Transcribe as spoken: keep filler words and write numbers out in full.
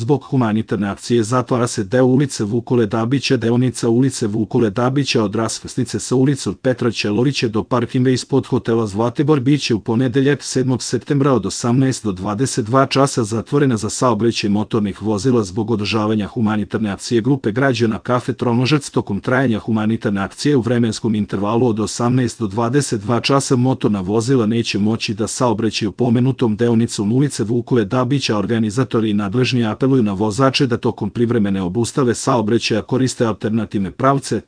Zbog humanitarne akcije zatvara se deo ulice Vukole Dabića, deonica ulice Vukole Dabića od raskrsnice sa ulicom Petra Ćelorića do parkinga ispod hotela Zlatibor biće u ponedeljak sedmog septembra od osamnaest do dvadeset dva časa zatvorena za saobraćaj motornih vozila zbog održavanja humanitarne akcije grupe građana Kafe Tronožac. Tokom trajanja humanitarne akcije u vremenskom intervalu od osamnaest do dvadeset dva časa motorna vozila neće moći da saobraćaju pomenutom deonicom ulice Vukole Dabića. Organizatori i nadležni apeluju na vozače da tokom privremene obustave saobraćaja koriste alternativne pravce,